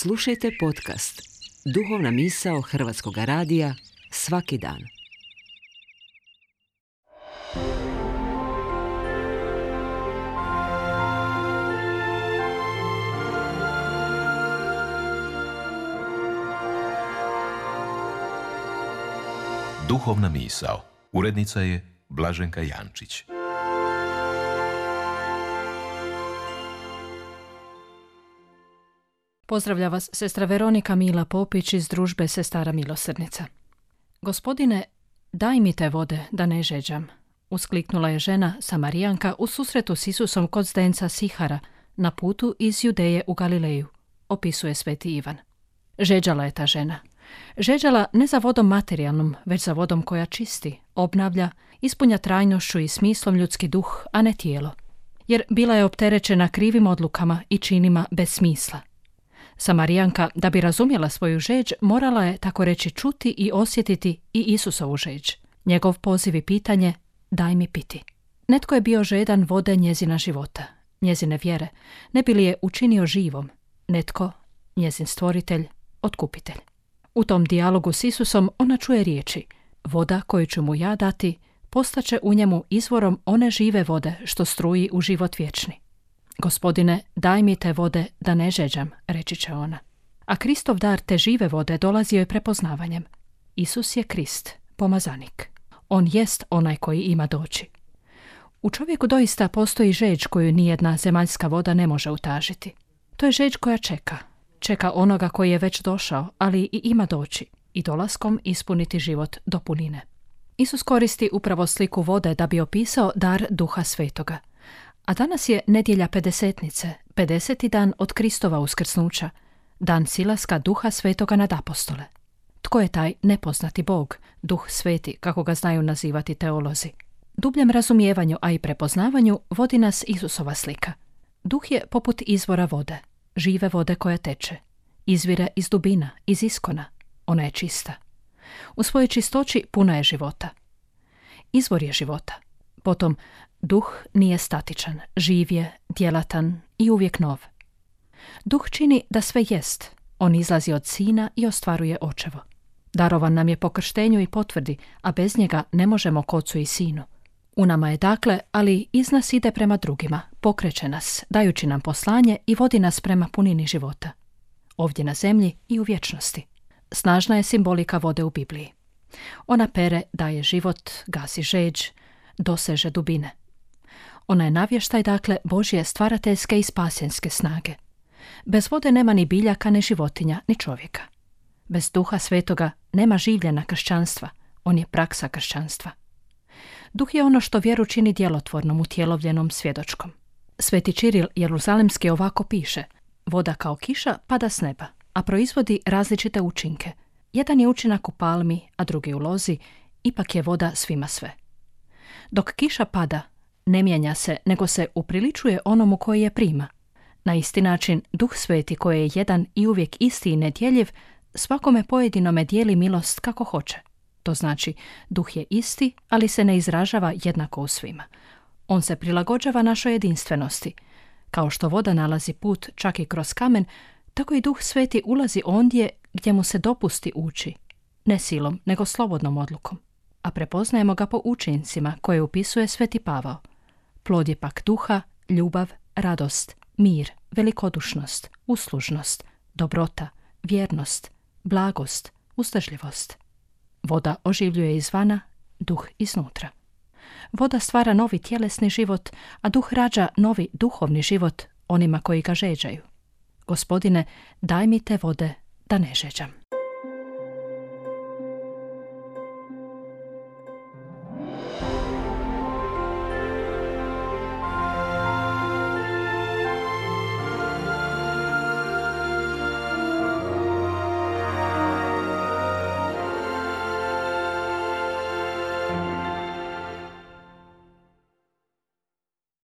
Slušajte podcast Duhovna misao Hrvatskog radija svaki dan. Duhovna misao. Urednica je Blaženka Jančić. Pozdravlja vas sestra Veronika Mila Popić iz družbe Sestara milosrdnica. Gospodine, daj mi te vode da ne žeđam, uskliknula je žena Samarijanka u susretu s Isusom kod zdenca Sihara na putu iz Judeje u Galileju, opisuje sveti Ivan. Žeđala je ta žena. Žeđala ne za vodom materijalnom, već za vodom koja čisti, obnavlja, ispunja trajnošću i smislom ljudski duh, a ne tijelo. Jer bila je opterećena krivim odlukama i činima bez smisla. Samarijanka, da bi razumjela svoju žeđ, morala je, tako reći, čuti i osjetiti i Isusovu žeđ. Njegov poziv i pitanje, daj mi piti. Netko je bio žedan vode njezina života, njezine vjere, ne bi li je učinio živom. Netko, njezin stvoritelj, otkupitelj. U tom dijalogu s Isusom ona čuje riječi, voda koju ću mu ja dati, postaće u njemu izvorom one žive vode što struji u život vječni. Gospodine, daj mi te vode da ne žeđam, reći će ona. A Kristov dar te žive vode dolazio je prepoznavanjem. Isus je Krist, pomazanik. On jest onaj koji ima doći. U čovjeku doista postoji žeđ koju nijedna zemaljska voda ne može utažiti. To je žeđ koja čeka. Čeka onoga koji je već došao, ali i ima doći i dolaskom ispuniti život do punine. Isus koristi upravo sliku vode da bi opisao dar Duha Svetoga. A danas je nedjelja pedesetnice, 50. dan od Kristova uskrsnuća, dan silaska Duha Svetoga nad apostole. Tko je taj nepoznati Bog, Duh Sveti, kako ga znaju nazivati teolozi? Dubljem razumijevanju, a i prepoznavanju, vodi nas Isusova slika. Duh je poput izvora vode, žive vode koja teče. Izvire iz dubina, iz iskona. Ona je čista. U svojoj čistoći puna je života. Izvor je života. Potom, duh nije statičan, živ je, djelatan i uvijek nov. Duh čini da sve jest. On izlazi od sina i ostvaruje očevo. Darovan nam je po krštenju i potvrdi, a bez njega ne možemo k ocu i sinu. U nama je dakle, ali iz nas ide prema drugima, pokreće nas, dajući nam poslanje i vodi nas prema punini života. Ovdje na zemlji i u vječnosti. Snažna je simbolika vode u Bibliji. Ona pere, daje život, gasi žeđ, doseže dubine. Ona je navještaj, dakle, Božje stvarateljske i spasenske snage. Bez vode nema ni biljaka, ni životinja, ni čovjeka. Bez Duha Svetoga nema življena kršćanstva, on je praksa kršćanstva. Duh je ono što vjeru čini djelotvornom, utjelovljenom, svjedočkom. Sveti Čiril Jeruzalemski ovako piše, voda kao kiša pada s neba, a proizvodi različite učinke. Jedan je učinak u palmi, a drugi u lozi, ipak je voda svima sve. Dok kiša pada, ne mijenja se, nego se upriličuje onomu koji je prima. Na isti način, Duh Sveti koji je jedan i uvijek isti i nedjeljiv, svakome pojedinome dijeli milost kako hoće. To znači, Duh je isti, ali se ne izražava jednako u svima. On se prilagođava našoj jedinstvenosti. Kao što voda nalazi put čak i kroz kamen, tako i Duh Sveti ulazi ondje gdje mu se dopusti ući. Ne silom, nego slobodnom odlukom. A prepoznajemo ga po učincima koje upisuje sveti Pavao. Plod je pak duha, ljubav, radost, mir, velikodušnost, uslužnost, dobrota, vjernost, blagost, uzdržljivost. Voda oživljuje izvana, duh iznutra. Voda stvara novi tjelesni život, a duh rađa novi duhovni život onima koji ga žeđaju. Gospodine, daj mi te vode da ne žeđam.